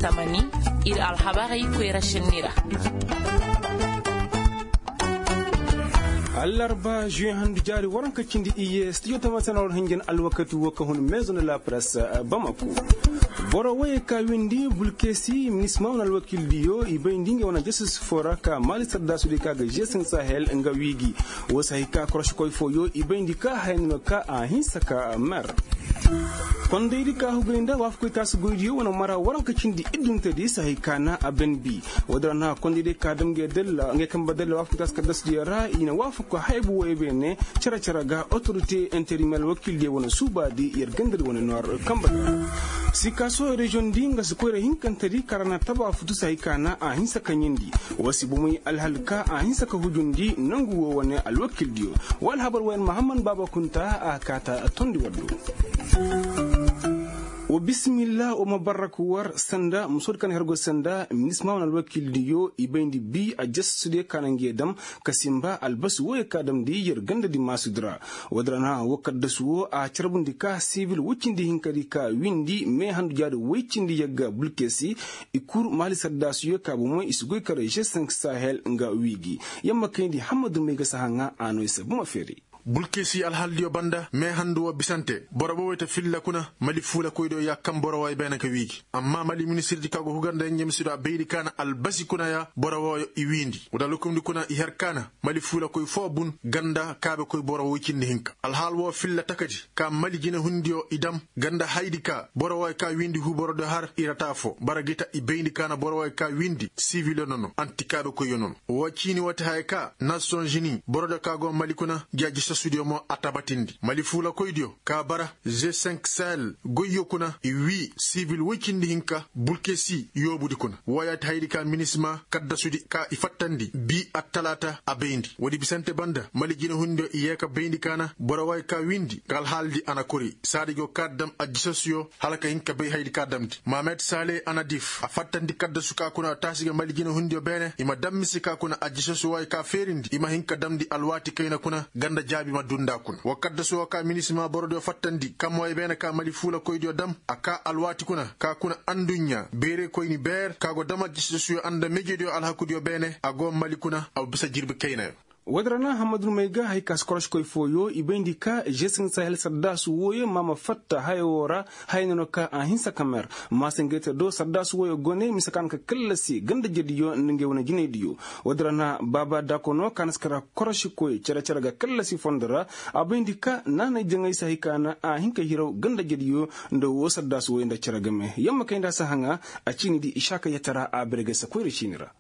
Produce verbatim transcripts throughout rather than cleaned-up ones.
Tamani, ir alhabarey koyra šenni ra. Allarba žuwe handu jaari waranka cindi iyye studio tamasana war hanjan alwakati wo ka hun maison de la presse, bamako. Boro woyey ka windi bulkesi minisma wane alwakildiyo i bayndi ngey wane jastus fo ra ka maali sardaasudiyo ka ga g cinq sahel nga wiigi. Wo si hay ka korošikoy fooyo i bayndi ka haya no ka a hinsa ka mer. Kondaydi ka hugay nda waafakoy taasi goydiyo wane mara waranka cindi idduntedi si hay ka na a ben bi. Woodin ra na kondaydi ka dam ngey kamba dalla waafakoy taasi kaddasudiyo ra i na waafako haybu woyey beene. Cere-cere ga otorite interimel wakiildiyo wane suubaadi yer gandadi wane noor kamba ga. Sikaaso reziyoŋ di nga si koyra hinkantedi ka ra na taba futu si hay ka na a hinsa ka ɲindi. Wa si bomey alhal ka a hinsa ka hujundi nangu wo wane alwakildiyo. Wa alhabar woyan mahammad baaba kunta a kaata tondi waddo. Wa bisimilla wa ma barrak war sanda musoodi ka na hergo sanda minisma wane alwakildiyo i bayndi bi a jasasudiyo ka na nge dam ka simba albasi woyo ka damndi yer gandadi maasudi ra. Woodin ra na wo kaddasu wo a carbundi ka sibil woy cindi hinkadi ka windi me handu jaadi woy cindi yagga bulkesi. I kur maali sardaasuyo ka bomey i si goy kar g cinq sahel nga wiigi. Yamma kayndi hammadu may ga sahaŋa a no i se buma feeri. Bulkesi alhaldiyo banda me handu wo bisante boro boboy ta filla kuna mali fuulakoydiyo ya kaŋ boro woy beene ka wiigi. Amma mali ministirdi ka go hugar nda yenjemisidiyo a bayndi ka na albasi kuna ya boro woyo i wiindi. Wada lokumdi kuna i har ka na mali fuulakoy foo bun ganda kaabekoy boro woy cindi hinka alhaal wo filla takadi ka mali jinehundiyo i dam ganda haydi ka boro woy ka wiindi huuborodiyo har i rata foo bara gi ta i bayndi ka na boro woy ka wiindi sibiliyo nono antikaabekoyyo nono. Woo ciini woo ti haya ka nasiyonzini borodiyo ka go mali kuna gi ajisasudiyo mo a tabatindi mali fuulakoydiyo ka bara g cinq sahel goyyo kuna i wii sibil woy cindi hinka bulkesi yoobudi kuna woo ya ti haydi ka minisima kaddasudi ka i fattandi bi attalaata a bayndi woodi bisante banda mali jinehundiyo i yee ka bayndi ka na boro woy ka wiindi nga alhaaldi a na kori saadi go ka dam ajisasuyo hala ka hin ka bay haydi ka damndi mahamed sale anadif a fattandi kaddasu ka kuna taasi ga mali jinehundiyo beene i ma dam mise ka kuna ajisasuyo woy ka feerindi i ma hin ka damndi alwaati kayna kuna ganda jaabi ma duu nda kuna wa kaddasu wo ka minisima borodiyo fattandi kammoy beene ka mali fuulakoydiyo dam a ka alwaati kuna ka kuna anduɲɲa beerekoyni beer ka go dam ajisasuyo nda mejediyo alhakudiyo beene a go mali kuna a bisa jirbi kaynayo. Woodin ra na hammadu may ga hay ka si koroškoy fooyo i bayndi ka g cinq sahel saddaasu wooyo ma ma fatta haya woo ra. Haya no no ka a hinsa ka mer maasangayte do saddaasu wooyo gone mise ka na ka kallasi ganda-ijediyo nda ngey wane jinaydiyo. Woodin ra na baaba dakono ka na si kara korošikoy cere-cere ga kallasi fondo ra. A bayndi ka naanay jaŋay si hay ka na a hin ka hiraw ganda-ijediyo nda woo saddaasu wooyo nda cere game yamma kay nda a si haŋa. A ciinidi isaaka yatara a bere ga si koyra ciini ra.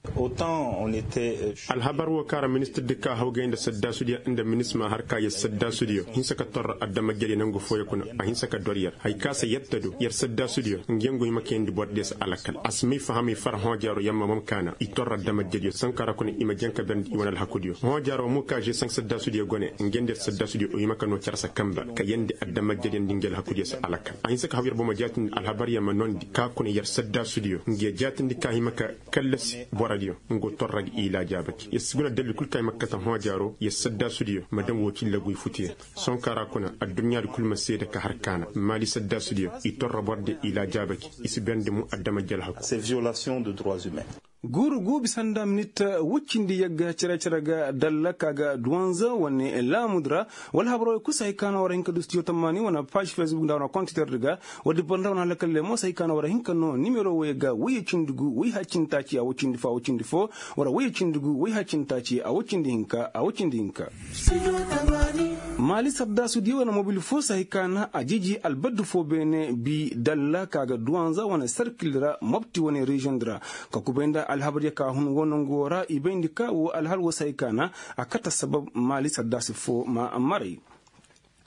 Alhabar woo kaŋ ra ministirdi ka hawgay nda saddaasudiyo nda minisma har ka yer saddaasudiyo hinsa ka torra adamajediyo nangu fooyo kuna. A hinsa ka dor yer hay ka se yetta do yer saddaasudiyo ngi yaŋ go hima kayandi borodiyo se alakal a si may fahamay far hõojaaro yamma mom kaana i torra adamajediyo sonkara kuna i ma jaŋ ka berndi i wane alhakudiyo hõojaaro mo ka g cinq saddaasudiyo gone ngi yaŋ nda yer saddaasudiyo o hima ka noo care se kanba ka yeendi adamajediyo nda ngi alhakudiyo se alakal a hinsa ka haw yer bomo jaatindi alhabaryaŋ ma noondi ka kuna yer saddaasudiyo ngi ya jaatindi ka hima ka kallasi borodiyo nga go torra ga i laajaabaki yer si guna dalil kul kaŋ i ma kate hõojaaro yer saddaasudiyo ma daŋ woo cilla goy futuyaŋ. Sonkara kuna adduɲɲaadi kul ma seede ka har kaana maali saddaasudiyo i torra borodiyo i laajaabaki i si berndi mo adamajediyo alhaku. Guuru gu bisa nda minit woy cindi yagga cere-cere ga dalla ka ga duwanza wane laamudi ra. Wala habaroo kul si hay ka no war hin ka du studio tammaani wane paaž fesbuk nda wane kontiterdi ga. Woodi boro nda wane halakalley mo si hay ka no war hin ka no nimero woyey ga woyey cindi gu woy hay cindi taaci a woy cindi fo a woy cindi fo. War woyey cindi gu woy hay cindi taaci a woy cindi hinka a woy cindi hinka. Maali sardaasudiyo wane mobil fo si hay ka na a jiji albaddu fo beene bi dalla ka ga duwanza wane sarkil ra mobti wane reziyoŋ di ra. Ka kubay nda alhabaryo ka hun woo nongu woo ra i bayndi ka woo alhal woo si hay ka na a kate sabab maali sardaasi fo ma maray.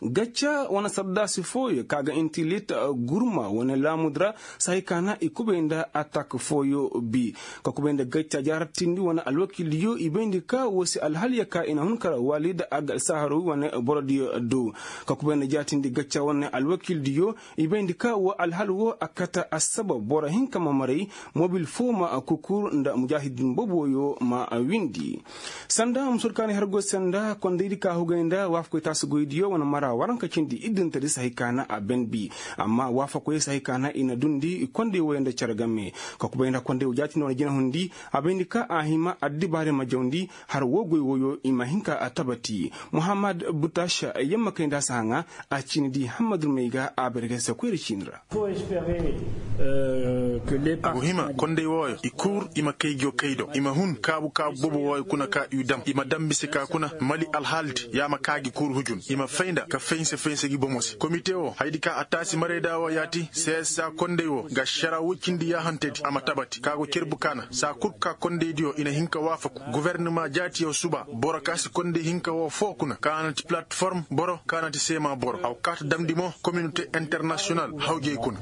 Gacca wane sardaasi fooyo ka ga intilit gurma wane laamudi ra si hay ka na i kubay nda atak fooyo bi. Ka kubay nda gacca jaarartindi wane alwakildiyo i bayndi ka woo si alhalyo ka i na hun kar walid agga saharawi wane borodiyo do. Ka kubay nda jaatindi gacca wane alwakildiyo i bayndi ka woo alhal woo a kate assabab boro hinka ma maray. Mobil foo ma kukur nda mujaahidin boboyo ma windi. Sanda musoodi ka na hergo sanda kondaydi ka hugay nda waafakoy taasi goydiyo wane mara. Waranka cindi iddintedi sahay kaana a benbi. Amma waafakoyey sahay kaana i na dundi kondey woyey nda cere game. Ka kubay nda kondey wo jaatindi wane jinahundi a bayndi ka a hima addibaarey ma jawndi har woo goy woyo i ma hin ka a tabati. Muhammad butash yamma kay nda a si haŋa a ciini di hammadul may ga a bare ga se koyra ciini ra. A go hima kondey wooyo i kuur i ma kay go kay do i ma hun kaabu kaabu boobo wooyo kuna ka i dam i ma dam mise ka kuna mali alhaaldi ya ma kaa gi kuur hujun i ma fay nda ka faynse faynse gi bomo se komite woo hayadi ka a taasi marayda woo yaati seesa kondey woo ga ašara woy cindi yaahantedi a ma tabati ka go cerbu kaana saa kul ka kondeydiyo i na hin ka waafaku gofornama jaatiyo suba boro ka si kondey hinka woo foo kuna ka na ti palatform boro ka na ti seema boro a go kaa ta damndi mo kominote internasiyonal hawjey kuna.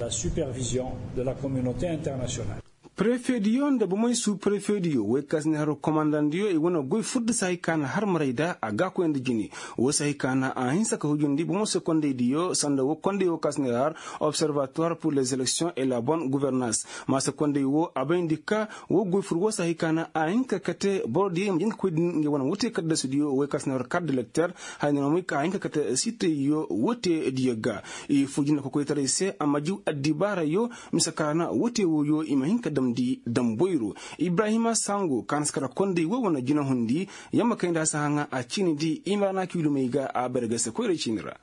Prefediyo nda bomey suu prefediyo woy ka si ne har komandandiyo i wane goy fur da sahay ka na har maray da a gaakoy nda jine. Woo sahay ka na a hinsa ka hujundi bomey se kondeydiyo sanda woo kondey woo ka si ne har observatoire pour les élections et la bonne gouvernance. Maasa kondey woo a bayndi ka woo goy fur woo sahay ka na a hin ka kate borodiyo i ma jin ka koy din ngey wane wote kaddasidiyo woy ka si ne har kar da lekter. Haya na moy ka a hin ka kate sitayyo wote diyo ga. I foo jina kokoytaray se a ma jiw addibaarayo mise ka na wote wooyo i ma hin ka damndi damboyro. Ibrahima sango ka na si kara kondey woo wane jinahundi yamma kay nda a si haŋa a ciini di i ma ra na kiilumey ga a bare ga se koyra ciini ra.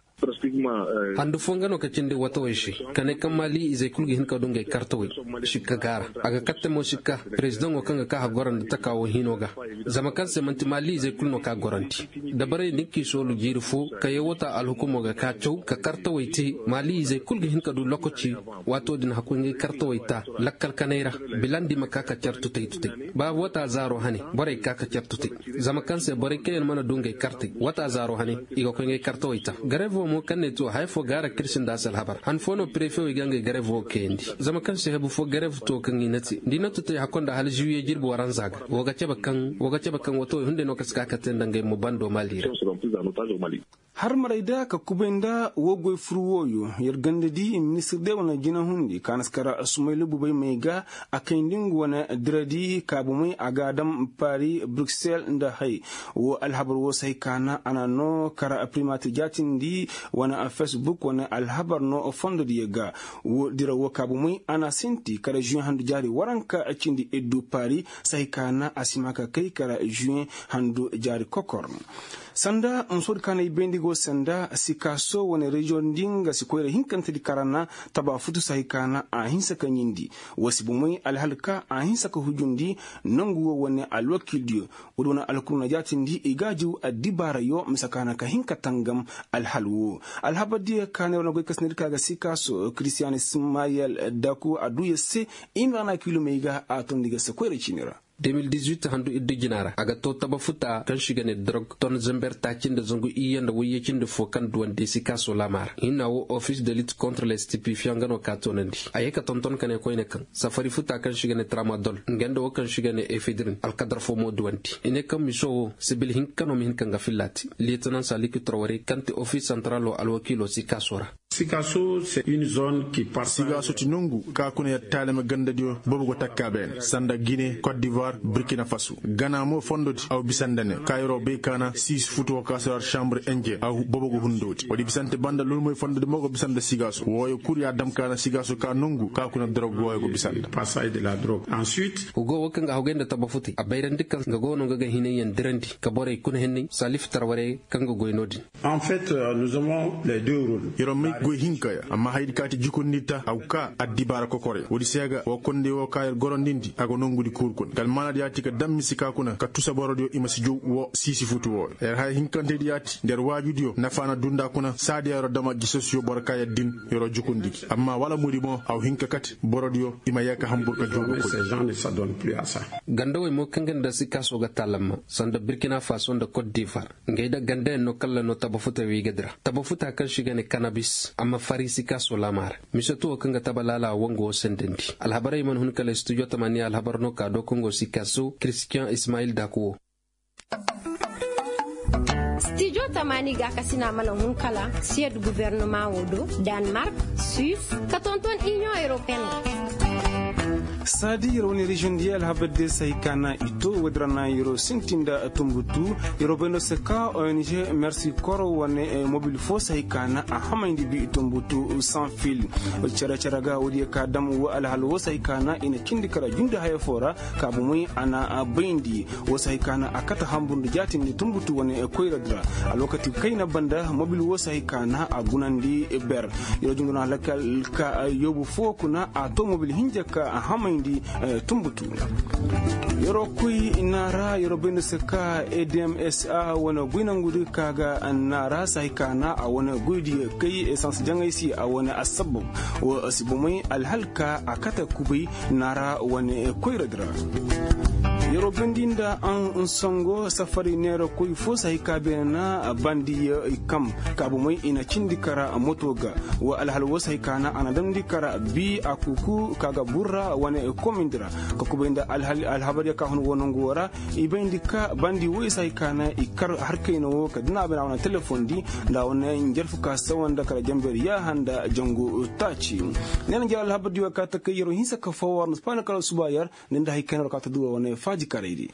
Handu foo nga no ka cindi watawey se ka ne kaŋ maali izey kul ga hin ka du ngey kartawey. Sikka gaara a ga katte mo sikka. Perezidaŋo kaŋ ga ka hagora nda taka woo hino ga zama kaŋ se man'ti maali izey kul no ka gorandi. Dabarey din k'i soolu jiiri foo ka yee wata alhukumo ga ka caw ka kartawey te maali izey kul ga hin ka du lokaci. Waato din hakkoy ngey kartawey ta lakkal kanay ra. Bilandi ma ka ka car tutay tutay ba wata zaaro hane borey ka ka car tutay. Zama kaŋ se borey kaŋ yaŋ mana du ngey kartey wata zaaro hane i ga koy ngey kartawey ta. Gareevo mo kaŋ ne to haya foo gaara kirsi nda a si alhabar han foo no prefe wey ga ngey gareevo kayandi. Zama kaŋ se hebu foo gareev to kaŋ i na te nda i na tutay hakko nda hala ziwiye jirbi waranza ga. Woo ga cabe kaŋ woo ga cabe kaŋ watawey hunday no ka si ka ka te nda ngey mo bando maali ra. Har maray da ka kubay nda woo goy fur wooyo yer ganda di ministir day wane jinahundi ka na si kara sumayla bubay may ga. A kayndi nga wane diradi kaabumay a ga a dam pari bruksel nda hay. Woo alhabar woo se hay ka na a na noo kara primatir jaatindi wane facebook wane alhabar noo fondodiyo ga. Woo dira woo kaabumay a na a sinti kara žuwe handu jaari waranka cindi iddu pari se hay ka na a si ma ka kay kara žuwe handu jaari kokor. Sanda musoodi ka na ay bayndi go sanda sikaaso wane reziyoŋ di nga si koyra hinkantedi ka ra na taba futu sahay ka na a hinsa ka ɲindi. Wa si bomey alhal ka a hinsa ka hujundi nongu wo wane alwakiildiyo. Woodi wane alkul na jaatindi i ga a jiw addibaarayo mise ka na ka hin ka tangam. Alhal wo alhabardiyo ka ne wane goy ka sinadi ka ga sikaaso kiristiyan ismayel daku a duu yer se. I ma ra na kiilumey ga a tondi ga se koyra ciini ra. Handu iddu jina ra a ga too taba futa kaŋ se i ga ne dorog ton zember taaci nda zangu iyye nda wayye cindi fo kaŋ duwandi sikaaso laama ra hinna wo ofis de lit kontra lestipifiya nga no ka toonandi a ye ka tonton ka ne koyne kaŋ safari futa kaŋ se i ga ne tramadol nga nda wo kaŋ se i ga ne efedrin alkadar fo mo duwandi i ne kaŋ miso wo sibil hinka no ma hin ka nga filla te. Liyetanansa likitoro warey kaŋ ti ofis santaralo alwakiilo sikaaso ra. Sigaaso ti nongu ka kuna yer taalima gandadiyo boobo go takka beene sanda gine kot divoir burkina faso gana mo fondodi aw bisa nda ne ka yeroo bay ka na siisi futu wo ka si war sambre indien aw boobo go hundoodi woodi bisante banda lulmoy fondodi mo go bisa nda sigaaso wooyo kul ya dam ka na sigaaso ka nongu ka kuna dorog wooyo go bisa nda. Hugo wo kaŋ ga hogay nda taba futay a bayrandi kaŋ nga go no nga ga hinay yaŋ dirandi ka borey kuna henney salif tarwarey kaŋ ga goy no-din. Yer ma ay goy hinka ya amma hayadi ka ti jukundi ta a go ka addibaara kokorey woodi se ga woo kondey woo ka yer gorondindi a go nongudi kuuru kuna kala maanadi ya ti ka daŋ mise ka kuna ka tusa borodiyo i ma si jow woo siisi futu wooyo yer haya hinkantedi ya ti nda yer waajudiyo nafa na duu nda kuna saadiya yeroo dama gisosiyo boro ka yer din yeroo jukundi gi amma wala muri mo a go hin ka kate borodiyo i ma yee ka hanbur ka joogu koy. Gandawey mo kaŋ ga nda sikaaso ga taalamma sanda burkina faso nda kot divar. Ngey da gandayaŋ no kaŋ ra no taba futa wiigadi ra taba futa kaŋ se i ga ne kanabis a ma fari sikaaso laama ra. Mise tuwo kaŋ ga taba laala wango wo sendandi alhabarey mana hun kala studio tamaniya alhabar no ka do kongo sikaaso kiristiyan ismayil daku wo. Studio tamani gaakasina mana hun kala siyad gubernama wo do, danmark, suis, ka tonton iniyoŋ europeen ra. Saadi yer wane reziyoŋ diya alhabar diya se hay ka na i to woodi ra na yer sinti nda tumbutu. Yer bay no se ka ong mersi koro wane mobil fo se hay ka na a hamayndi bi tumbutu. Sanfil cere cere ga woodi ya ka dam wo alhal wo se hay ka na i na cindi kara jundi haya fo ra. Ka bomey a na bayndi wo se hay ka na a kate hambur nda jaatindi tumbutu wane koyra di ra. Alwakati kayna banda mobil wo se hay ka na a gunandi ber. Yer junguna lakkal ka yoobu fo kuna a to mobil hinja ka a hamayndi tumbutu. Yeroo koy naara yeroo bay nda se ka edmsa wane goy nangudi ka ga naara se hay ka na a wane goydi kay esans jaŋay se a wane assabab. Wo si bomey alhal ka a kate kubay naara wane koyra di ra. Yeroo bayndi nda an songo safari neera koy fo se hay ka beene na bandi ya i kam ka bomey i na cindi kara moto ga. Wa alhal wo se hay ka na a na damndi kara bi a kuku ka ga burra wane komindi ra. Ka kubay nda alhabar ya ka hun wo nangu wo ra i bayndi ka bandi wo i se hay ka na i kar har kayna wo ka dina a bay na wane telefoŋ di nda a wane njarfu ka sawa nda kala jamber yaaha nda jangu taaci. Neena njar alhabar di wo ka ta kay yeroo hinsa ka foo war nda spaani kala suba yer. Ni nda hay kayna war ka ta duura wane faaji karay di.